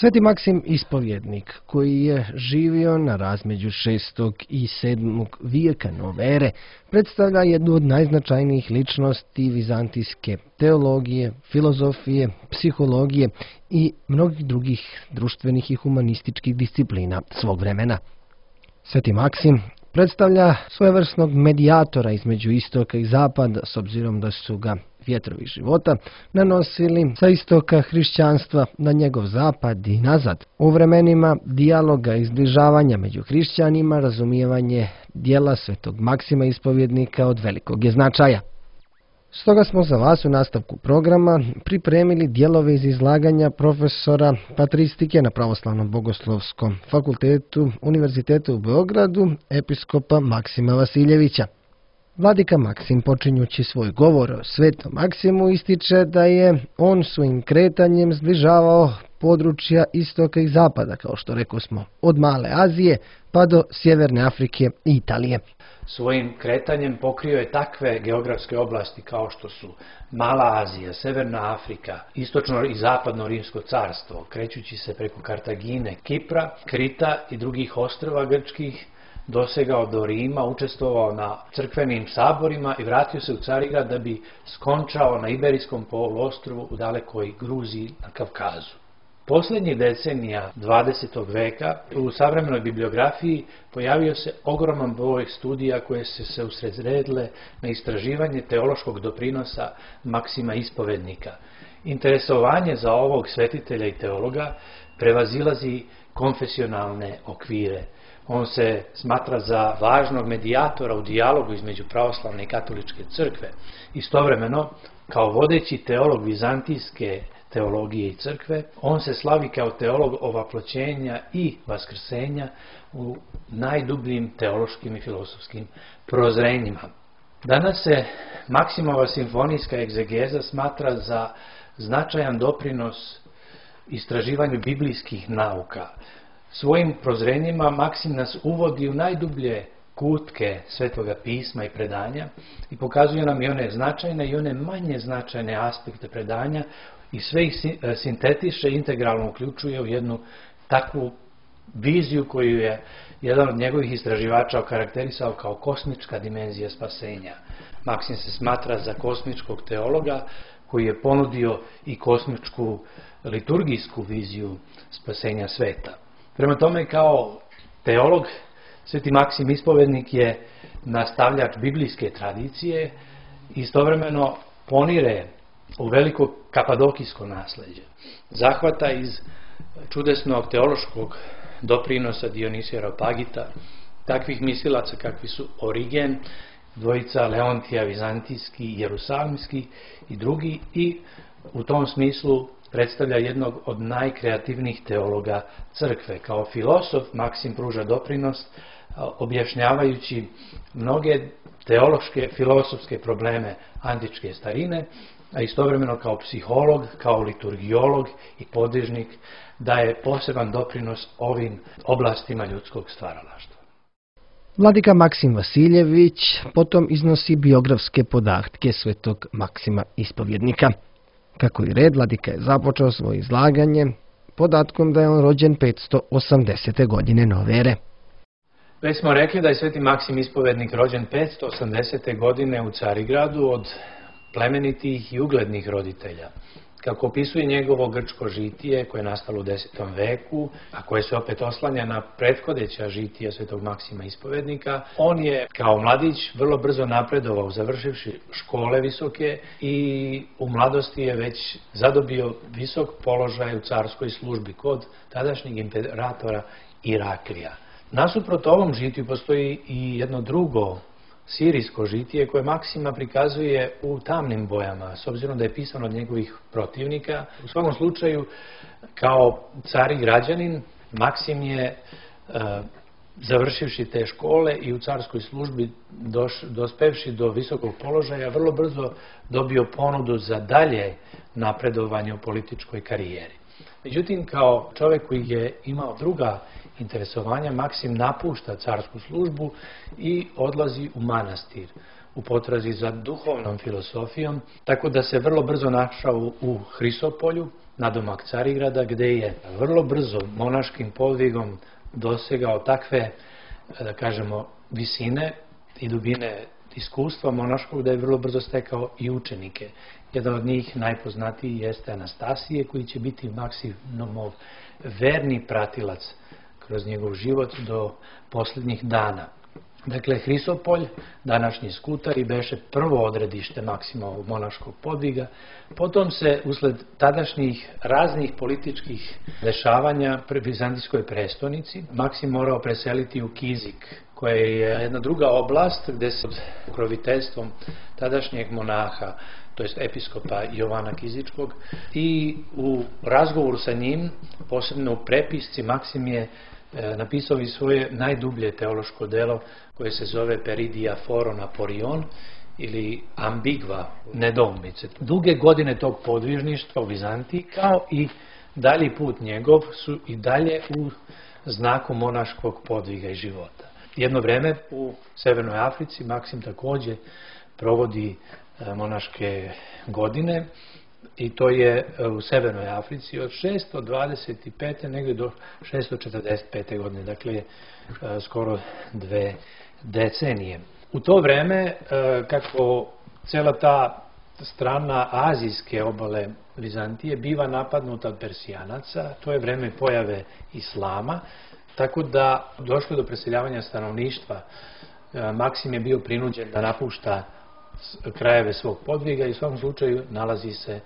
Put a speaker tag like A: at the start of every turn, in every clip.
A: Sveti Maksim Ispovjednik, koji je živio na razmeđu 6. i 7. vijeka nove ere, predstavlja jednu od najznačajnijih ličnosti vizantijske teologije, filozofije, psihologije i mnogih drugih društvenih i humanističkih disciplina svog vremena. Sveti Maksim predstavlja svojevrsnog medijatora između istoka i zapada, s obzirom da su ga vjetrovi života nanosili sa istoka hrišćanstva na njegov zapad i nazad. U vremenima dijaloga i zbližavanja među hrišćanima razumijevanje dijela Svetog Maksima Ispovjednika od velikog je značaja. Stoga smo za vas u nastavku programa pripremili dijelove iz izlaganja profesora patristike na Pravoslavnom bogoslovskom fakultetu Univerziteta u Beogradu, episkopa Maksima Vasiljevića. Vladika Maksim, počinjući svoj govor o Svetom Maksimu, ističe da je on svojim kretanjem zbližavao područja istoka i zapada, kao što rekosmo, od Male Azije pa do Sjeverne Afrike i Italije.
B: Svojim kretanjem pokrio je takve geografske oblasti kao što su Mala Azija, Severna Afrika, istočno i zapadno Rimsko carstvo, krećući se preko Kartagine, Kipra, Krita i drugih ostrva grčkih, dosegao do Rima, učestvovao na crkvenim saborima i vratio se u Carigrad da bi skončao na Iberijskom poluostrvu u dalekoj Gruziji na Kavkazu. Posljednjih decenija 20. veka u savremenoj bibliografiji pojavio se ogroman broj studija koje su se usredsredile na istraživanje teološkog doprinosa Maksima Ispovjednika. Interesovanje za ovog svetitelja i teologa prevazilazi konfesionalne okvire. On se smatra za važnog medijatora u dijalogu između pravoslavne i katoličke crkve. Istovremeno, kao vodeći teolog vizantijske teologije i crkve, on se slavi kao teolog ovaploćenja i vaskrsenja u najdubljim teološkim i filozofskim prozrenjima. Danas se Maksimova simfonijska egzegeza smatra za značajan doprinos istraživanju biblijskih nauka. Svojim prozrenjima Maksim nas uvodi u najdublje kutke Svetoga pisma i predanja i pokazuje nam i one značajne i one manje značajne aspekte predanja i sve ih sintetiše i integralno uključuje u jednu takvu viziju koju je jedan od njegovih istraživača okarakterisao kao kosmička dimenzija spasenja. Maksim se smatra za kosmičkog teologa koji je ponudio i kosmičku liturgijsku viziju spasenja sveta. Prema tome, kao teolog, Sveti Maksim Ispovjednik je nastavljač biblijske tradicije i istovremeno ponire u veliko kapadokijsko nasleđe. Zahvata iz čudesnog teološkog doprinosa Dionisija Areopagita, takvih mislilaca kakvi su Origen, dvojica Leontija Vizantijski i Jerusalimski i drugi, i u tom smislu predstavlja jednog od najkreativnijih teologa crkve. Kao filosof Maksim pruža doprinos objašnjavajući mnoge teološke, filosofske probleme antičke starine, a istovremeno kao psiholog, kao liturgiolog i podvižnik daje poseban doprinos ovim oblastima ljudskog stvaralaštva.
A: Vladika Maksim Vasiljević potom iznosi biografske podatke Svetog Maksima Ispovjednika. Kako i red, vladika je započeo svoje izlaganje podatkom da je on rođen 580. godine nove ere.
B: Već smo rekli da je Sveti Maksim Ispovjednik rođen 580. godine u Carigradu od plemenitih i uglednih roditelja. Kako opisuje njegovo grčko žitije koje je nastalo u 10. veku, a koje se opet oslanja na prethodeća žitija Svetog Maksima Ispovjednika, on je kao mladić vrlo brzo napredovao, završivši škole visoke, i u mladosti je već zadobio visok položaj u carskoj službi kod tadašnjeg imperatora Iraklija. Nasuprot ovom žitiju postoji i jedno drugo sirijsko žitije koje Maksima prikazuje u tamnim bojama, s obzirom da je pisano od njegovih protivnika. U svakom slučaju, kao car i građanin, Maksim je, završivši te škole i u carskoj službi dospevši do visokog položaja, vrlo brzo dobio ponudu za dalje napredovanje u političkoj karijeri. Međutim, kao čovjek koji je imao druga interesovanja, Maksim napušta carsku službu i odlazi u manastir. u potrazi za duhovnom filosofijom, tako da se vrlo brzo našao u Hrisopolju, nadomak Carigrada, gde je vrlo brzo monaškim podvigom dosegao takve, da kažemo, visine i dubine iskustva monaškog da je vrlo brzo stekao i učenike. Jedan od njih, najpoznatiji, jeste Anastasije, koji će biti Maksimov verni pratilac kroz njegov život do posljednjih dana. Dakle, Hrisopolj, današnji Skutari, beše prvo odredište Maksimovog monaškog podviga. Potom se, usled tadašnjih raznih političkih dešavanja pri Bizantijskoj prestonici, Maksim morao preseliti u Kizik, koja je jedna druga oblast gde se pod pokroviteljstvom tadašnjeg monaha, to jest episkopa Jovana Kizičkog, i u razgovoru sa njim, posebno u prepisci, Maksim je napisao i svoje najdublje teološko delo koje se zove Peridia Foron Aporion ili Ambigva, nedoumice. Duge godine tog podvižništva u Vizantiji kao i dalji put njegov su i dalje u znaku monaškog podviga i života. Jedno vreme u Severnoj Africi Maksim takođe provodi monaške godine i to je u Severnoj Africi od 625. negdje do 645. godine, dakle skoro 2 decenije. U to vreme, kako cela ta strana azijske obale Vizantije biva napadnuta od Persijanaca, to je vreme pojave islama, tako da došlo do preseljavanja stanovništva. Maksim je bio prinuđen da napušta krajeve svog podviga i u svakom slučaju nalazi se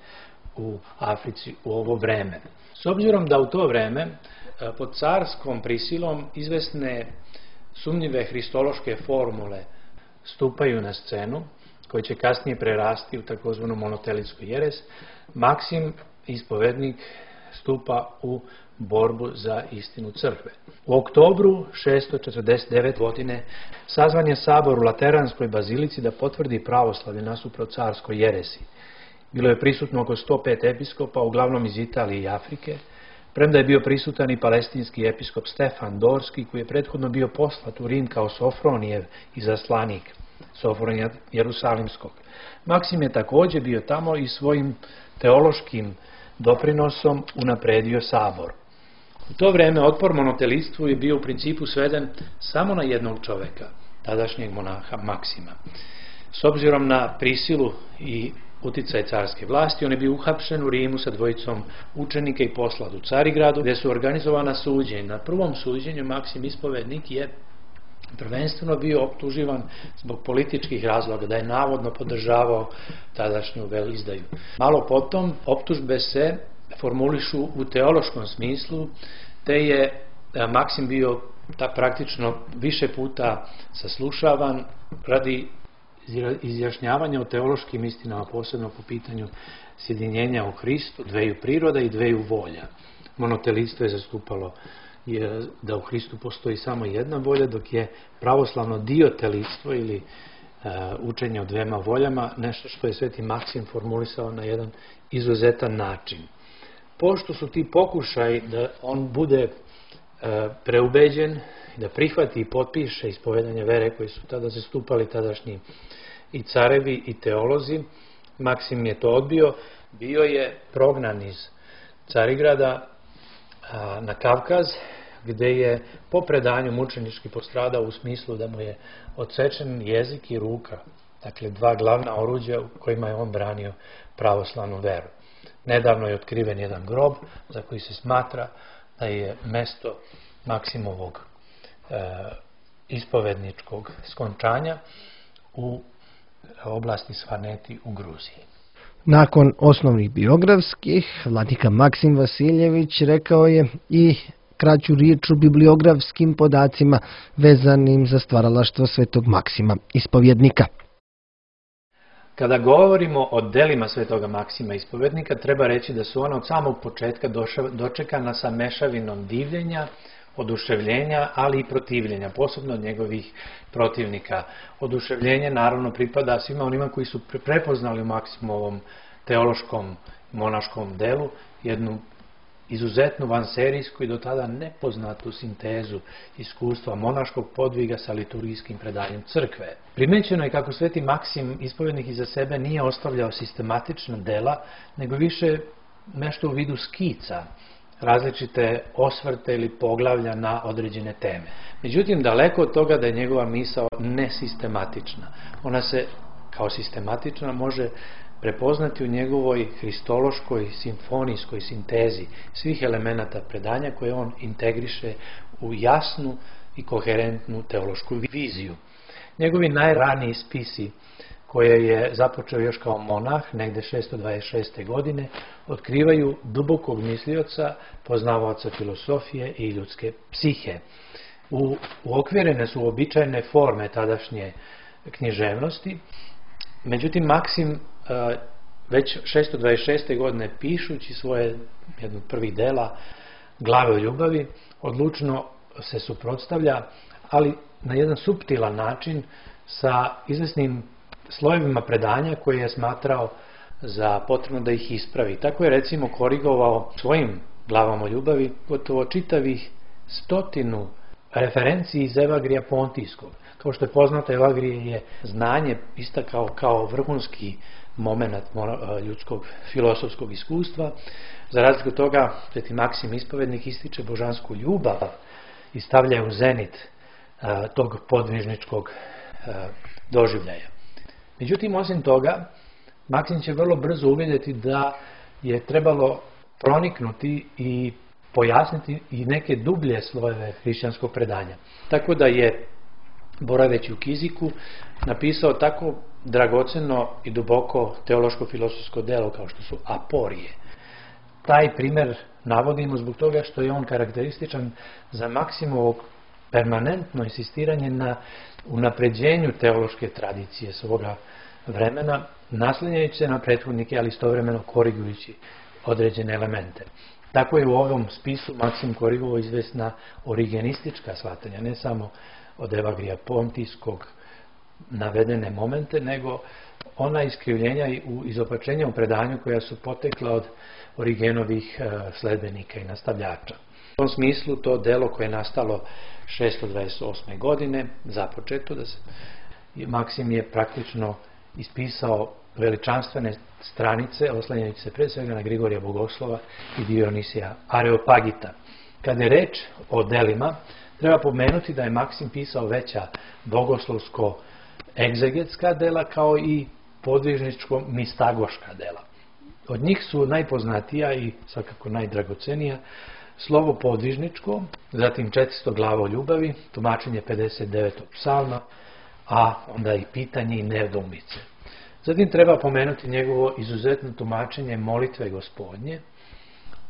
B: u Africi u ovo vreme. S obzirom da u to vreme pod carskom prisilom izvesne sumnjive hristološke formule stupaju na scenu, koje će kasnije prerasti u takozvanu monotelitsku jeres, Maksim, ispovednik, stupa u borbu za istinu crkve. U oktobru 649. godine sazvan je sabor u Lateranskoj bazilici da potvrdi pravoslavlje nasuprot carskoj jeresi. Bilo je prisutno oko 105 episkopa, uglavnom iz Italije i Afrike, premda je bio prisutan i palestinski episkop Stefan Dorski, koji je prethodno bio poslat u Rim kao Sofronijev izaslanik, Sofronija Jerusalimskog. Maksim je takođe bio tamo i svojim teološkim doprinosom unapredio sabor. U to vreme otpor monotelistvu je bio u principu sveden samo na jednog čoveka, tadašnjeg monaha Maksima. S obzirom na prisilu i uticaj carske vlasti, on je bio uhapšen u Rimu sa dvojicom učenika i poslat u Carigradu, gde su organizovana suđenja. Na prvom suđenju Maksim ispovednik je prvenstveno bio optuživan zbog političkih razloga, da je navodno podržavao tadašnju velizdaju. Malo potom optužbe se formulišu u teološkom smislu, te je Maksim bio praktično više puta saslušavan radi izjašnjavanja o teološkim istinama, posebno po pitanju sjedinjenja u Hristu, dveju priroda i dveju volja. Monotelitstvo je zastupalo da u Hristu postoji samo jedna volja, dok je pravoslavno diotelitstvo ili učenje o dvema voljama nešto što je sveti Maksim formulisao na jedan izuzetan način. Pošto su ti pokušaj da on bude preubeđen, da prihvati i potpiše ispovedanje vere koji su tada zastupali tadašnji i carevi i teolozi, Maksim je to odbio, bio je prognan iz Carigrada na Kavkaz, gde je po predanju mučenički postradao u smislu da mu je odsečen jezik i ruka, dakle dva glavna oruđa u kojima je on branio pravoslavnu veru. Nedavno je otkriven jedan grob za koji se smatra da je mesto Maksimovog ispovedničkog skončanja u oblasti Svaneti u Gruziji.
A: Nakon osnovnih biografskih, vladika Maksim Vasiljević rekao je i kraću riječ o bibliografskim podacima vezanim za stvaralaštvo svetog Maksima, ispovjednika.
B: Kada govorimo o delima svetoga Maksima ispovednika, treba reći da su ona od samog početka dočekana sa mešavinom divljenja, oduševljenja, ali i protivljenja, posebno od njegovih protivnika. Oduševljenje naravno pripada svima onima koji su prepoznali u Maksimovom teološkom monaškom delu jednu izuzetnu vanserijsku i do tada nepoznatu sintezu iskustva monaškog podviga sa liturgijskim predanjem crkve. Primećeno je kako sveti Maksim ispovjednik iza sebe nije ostavljao sistematična dela, nego više nešto u vidu skica, različite osvrte ili poglavlja na određene teme. Međutim, daleko od toga da je njegova misao nesistematična. Ona se kao sistematična može prepoznati u njegovoj hristološkoj simfonijskoj sintezi svih elemenata predanja koje on integriše u jasnu i koherentnu teološku viziju. Njegovi najraniji spisi, koje je započeo još kao monah, negde 626. godine, otkrivaju dubokog mislioca, poznavaoca filosofije i ljudske psihe. Uokvirene su uobičajene forme tadašnje književnosti, međutim Maksim već 626. godine pišući svoje jedno od prvih dela Glave o ljubavi odlučno se suprotstavlja, ali na jedan suptilan način sa izvesnim slojevima predanja koje je smatrao za potrebno da ih ispravi. Tako je recimo korigovao svojim Glavama o ljubavi gotovo čitavih 100 referenciji iz Evagrija Pontijskog. Kao što je poznato, Evagrije je znanje istakao kao vrhunski moment ljudskog filosofskog iskustva. Za razliku od toga, sveti Maksim ispovednik ističe božansku ljubav i stavlja u zenit tog podvižničkog doživljaja. Međutim, osim toga, Maksim će vrlo brzo uvidjeti da je trebalo proniknuti i pojasniti i neke dublje slojeve hrišćanskog predanja. Tako da je, boraveći u Kiziku, napisao tako dragoceno i duboko teološko-filosofsko delo kao što su Aporije. Taj primjer navodimo zbog toga što je on karakterističan za Maksimovo permanentno insistiranje na unapređenju teološke tradicije svoga vremena, naslanjajući se na prethodnike, ali istovremeno korigujući određene elemente. Tako je u ovom spisu Maksim korigovao izvesna origenistička shvatanja, ne samo od Evagrija Pontijskog navedene momente, nego ona iskrivljenja i izopačenja u predanju koja su potekla od Origenovih sledbenika i nastavljača. U tom smislu to delo koje je nastalo 628. godine, započeto, Maksim je praktično ispisao veličanstvene stranice, oslanjajući se pre svega na Grigorija Bogoslova i Dionisija Areopagita. Kada je reč o delima, treba pomenuti da je Maksim pisao veća bogoslovsko-egzegetska dela kao i podvižničko-mistagoška dela. Od njih su najpoznatija i svakako najdragocenija slovo podvižničko, zatim 400 glava o ljubavi, tumačenje 59. psalma, a onda i pitanje i nedoumice. Zatim treba pomenuti njegovo izuzetno tumačenje molitve Gospodnje,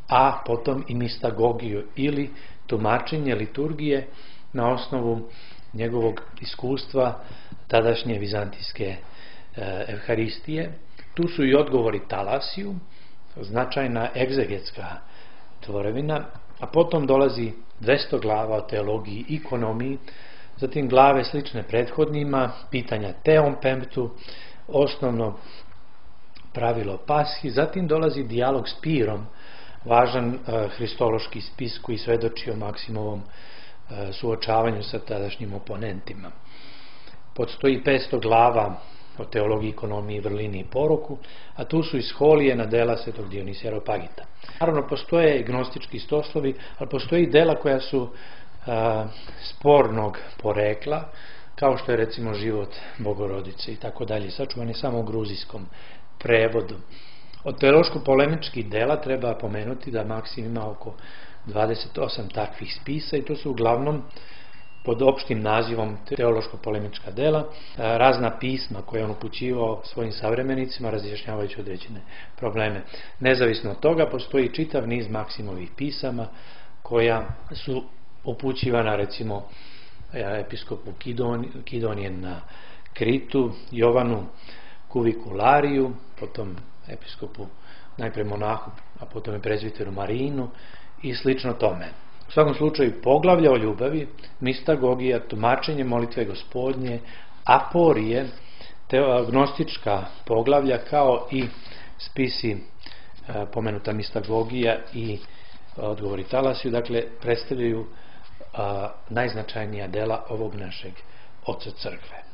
B: a potom i mistagogiju ili tumačenje liturgije na osnovu njegovog iskustva tadašnje vizantijske evharistije. Tu su i odgovori Talasiju, značajna egzegetska tvorevina, a potom dolazi 200 glava o teologiji i ekonomiji, zatim glave slične prethodnima, pitanja Teom Pemptu, osnovno pravilo Pashi, zatim dolazi dijalog s Pirom, važan hristološki spis koji svedoči o Maksimovom suočavanju sa tadašnjim oponentima. Podstoji 500 glava o teologiji, ekonomiji, vrlini i poroku, a tu su i sholije na dela svetog Dionisija Areopagita. Naravno, postoje gnostički stoslovi, ali postoje i dela koja su spornog porekla, kao što je recimo život Bogorodice i tako dalje, sačuvani samo u gruzijskom prevodu. Od teološko-polemičkih dela treba pomenuti da Maksim ima oko 28 takvih spisa i to su uglavnom pod opštim nazivom teološko-polemička dela, razna pisma koje on upućivao svojim savremenicima razjašnjavajući određene probleme. Nezavisno od toga postoji čitav niz Maksimovih pisama koja su upućivana recimo episkopu Kidonijen na Kritu, Jovanu Kuvikulariju, potom episkopu, najprej monahu, a potom i prezviteru Marinu i slično tome. U svakom slučaju poglavlja o ljubavi, mistagogija, tumačenje molitve Gospodnje, aporije, gnostička poglavlja kao i spisi pomenuta mistagogija i odgovori Talasiju, dakle, predstavljaju najznačajnija dela ovog našeg oca crkve.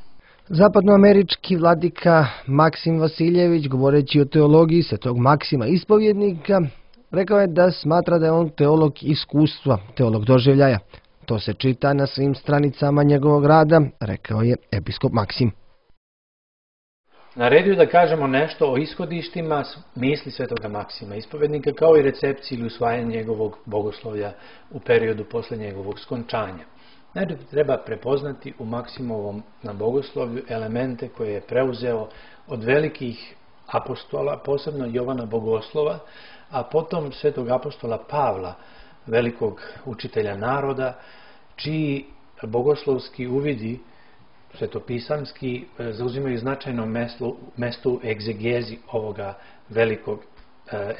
A: Zapadnoamerički vladika Maksim Vasiljević, govoreći o teologiji svetog Maksima ispovjednika, rekao je da smatra da je on teolog iskustva, teolog doživljaja. To se čita na svim stranicama njegovog rada, rekao je episkop Maksim.
B: Naredio da kažemo nešto o ishodištima misli svetoga Maksima ispovjednika, kao i recepciji ili usvajanju njegovog bogoslovlja u periodu posle njegovog skončanja. Najprije treba prepoznati u Maksimovom na bogoslovlju elemente koje je preuzeo od velikih apostola, posebno Jovana Bogoslova, a potom svetog apostola Pavla, velikog učitelja naroda, čiji bogoslovski uvidi svetopisamski zauzimaju značajno mesto u egzegezi ovoga velikog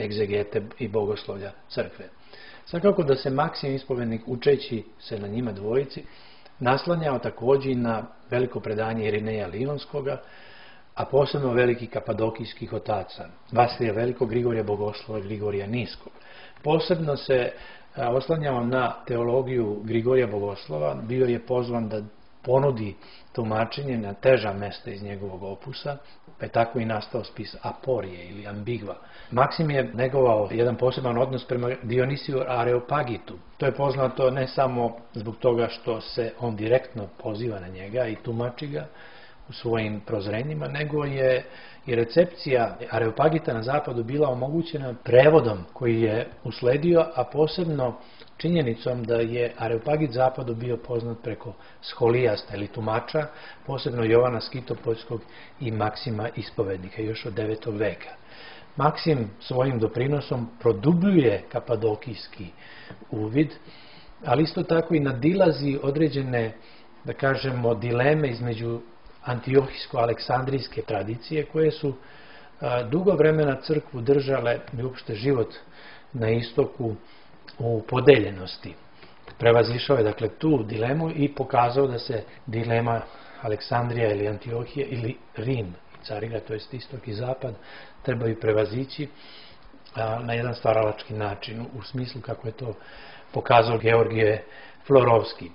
B: egzegete i bogoslovlja crkve. Svakako da se Maksim ispovjednik, učeći se na njima dvojici, naslanjao također na veliko predanje Irineja Lionskoga, a posebno velikih kapadokijskih otaca, Vasilija Velikog, Grigorija Bogoslova i Grigorija Niskog. Posebno se oslanjao na teologiju Grigorija Bogoslova, bio je pozvan da ponudi tumačenje na teža mesta iz njegovog opusa, pa je tako i nastao spis Aporije ili Ambigva. Maksim je negovao jedan poseban odnos prema Dionisiju Areopagitu. To je poznato ne samo zbog toga što se on direktno poziva na njega i tumači ga u svojim prozrenjima, nego je i recepcija Areopagita na zapadu bila omogućena prevodom koji je usledio, a posebno činjenicom da je Areopagit zapadu bio poznat preko scholijasta ili tumača, posebno Jovana Skitopoljskog i Maksima ispovednika još od 9. veka. Maksim svojim doprinosom produbljuje kapadokijski uvid, ali isto tako i nadilazi određene, da kažemo, dileme između antiohijsko-aleksandrijske tradicije koje su dugo vremena crkvu držale i uopšte život na istoku u podeljenosti. Prevazišao je dakle tu dilemu i pokazao da se dilema Aleksandrija ili Antiohija ili Rim, Carina, to jest istok i zapad, trebaju prevazići na jedan stvaralački način, u smislu kako je to pokazao Georgije Florovski.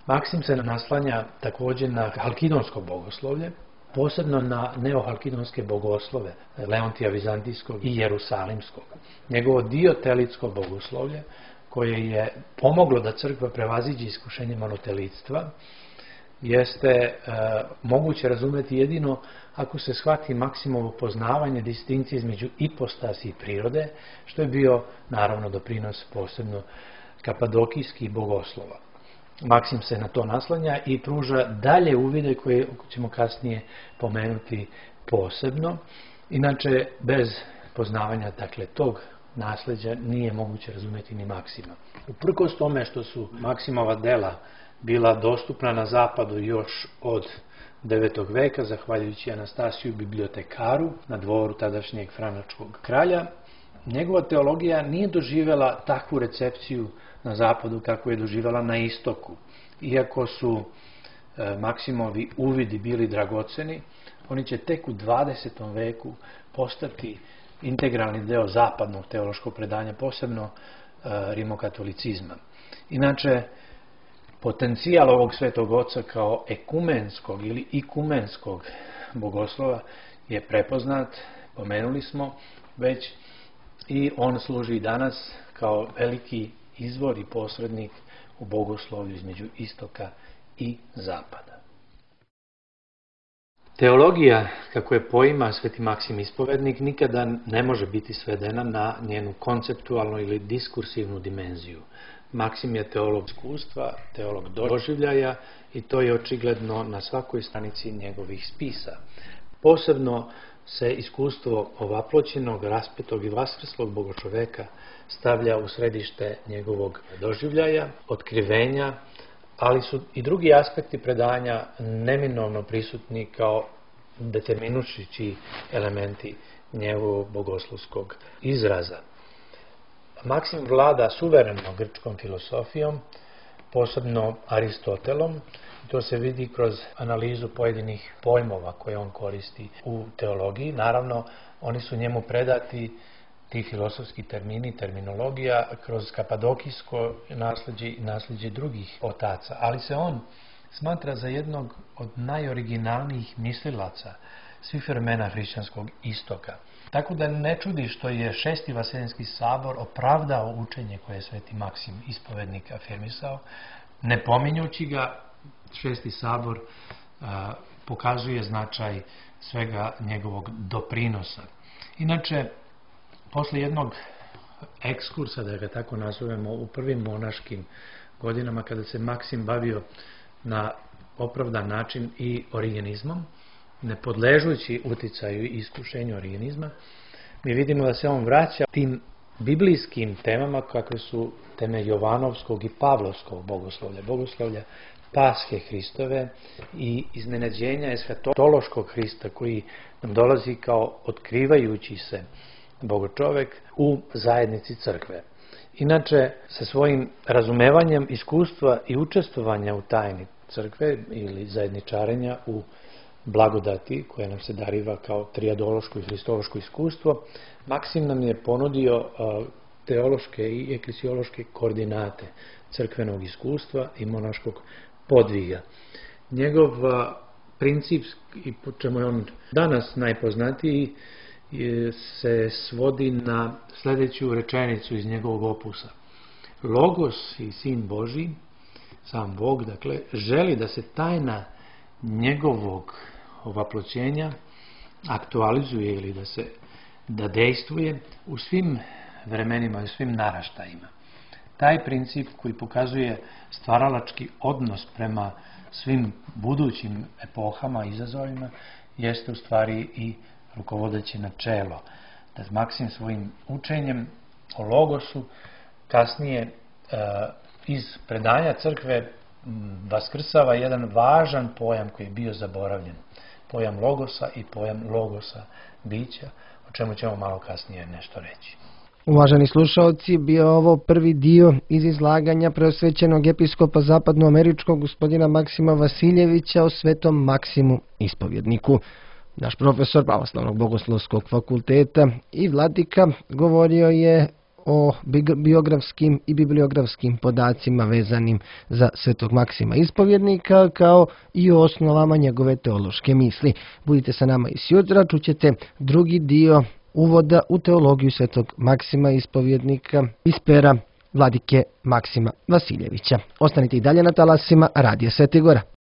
B: Maksim se naslanja također na halkidonsko bogoslovlje, posebno na neohalkidonske bogoslove Leontija Vizantijskog i Jerusalimskog. Njegovo diotelitsko bogoslovlje, koje je pomoglo da crkva prevaziđe iskušenje monotelitstva, jeste moguće razumjeti jedino ako se shvati Maksimovo poznavanje distinkcije između ipostasi i prirode, što je bio naravno doprinos posebno kapadokijskih bogoslova. Maksim se na to naslanja i pruža dalje uvide koje ćemo kasnije pomenuti posebno. Inače, bez poznavanja dakle, tog nasljeđa nije moguće razumjeti ni Maksima. Uprkos tome što su Maksimova dela bila dostupna na zapadu još od 9. veka, zahvaljujući Anastasiju bibliotekaru na dvoru tadašnjeg franačkog kralja, njegova teologija nije doživjela takvu recepciju na zapadu kako je doživjela na istoku. Iako su Maksimovi uvidi bili dragoceni, oni će tek u 20. veku postati integralni deo zapadnog teološkog predanja, posebno rimokatolicizma. Inače, potencijal ovog svetog oca kao ekumenskog ili ikumenskog bogoslova je prepoznat, pomenuli smo već, i on služi danas kao veliki izvor i posrednik u bogoslovlju između istoka i zapada. Teologija, kako je poima sveti Maksim ispovednik, nikada ne može biti svedena na njenu konceptualnu ili diskursivnu dimenziju. Maksim je teolog iskustva, teolog doživljaja i to je očigledno na svakoj stranici njegovih spisa. Posebno se iskustvo ovaploćenog, raspetog i vaskrslog bogočoveka stavlja u središte njegovog doživljaja, otkrivenja, ali su i drugi aspekti predanja neminovno prisutni kao determinušići elementi njegovog bogoslovskog izraza. Maksim vlada suvereno grčkom filosofijom, posebno Aristotelom. To se vidi kroz analizu pojedinih pojmova koje on koristi u teologiji. Naravno, oni su njemu predati ti filosofski termini, terminologija kroz kapadokijsko nasleđe i nasleđe drugih otaca, ali se on smatra za jednog od najoriginalnijih mislilaca svih vremena hrišćanskog istoka. Tako da ne čudi što je Šesti Vaseljenski sabor opravdao učenje koje je Sveti Maksim ispovednik afirmisao, ne pominjući ga. Šesti sabor pokazuje značaj svega njegovog doprinosa. Inače, posle jednog ekskursa, da ga tako nazovemo, u prvim monaškim godinama, kada se Maksim bavio na opravdan način i origenizmom, ne podležući uticaju i iskušenju origenizma, mi vidimo da se on vraća tim biblijskim temama kakve su teme Jovanovskog i Pavlovskog bogoslovlja, bogoslovlja Pashe Hristove i iznenađenja eshatološkog Hrista koji nam dolazi kao otkrivajući se bogočovek u zajednici crkve. Inače, sa svojim razumevanjem iskustva i učestvovanja u tajni crkve ili zajedničarenja u blagodati koja nam se dariva kao trijadološko i hristološko iskustvo, Maksim nam je ponudio teološke i eklesiološke koordinate crkvenog iskustva i monaškog podviga. Njegov princip, i po čemu je on danas najpoznatiji, se svodi na sljedeću rečenicu iz njegovog opusa. Logos i Sin Božji, sam Bog, dakle, želi da se tajna njegovog ovaploćenja aktualizuje ili da dejstvuje u svim vremenima i u svim naraštajima. Taj princip koji pokazuje stvaralački odnos prema svim budućim epohama i izazovima jeste u stvari i rukovodeće načelo. Da Maksim svojim učenjem o Logosu kasnije iz predanja crkve vaskrsava jedan važan pojam koji je bio zaboravljen. Pojam Logosa i pojam Logosa bića, o čemu ćemo malo kasnije nešto reći.
A: Uvaženi slušalci, bio ovo prvi dio iz izlaganja preosvećenog episkopa zapadnoameričkog gospodina Maksima Vasiljevića o Svetom Maksimu ispovjedniku. Naš profesor Pravoslavnog bogoslovskog fakulteta i vladika govorio je o biografskim i bibliografskim podacima vezanim za Svetog Maksima ispovjednika, kao i o osnovama njegove teološke misli. Budite sa nama i sjutra, čućete drugi dio uvoda u teologiju Svetog Maksima ispovjednika iz pera vladike Maksima Vasiljevića. Ostanite i dalje na talasima Radija Svete Gora.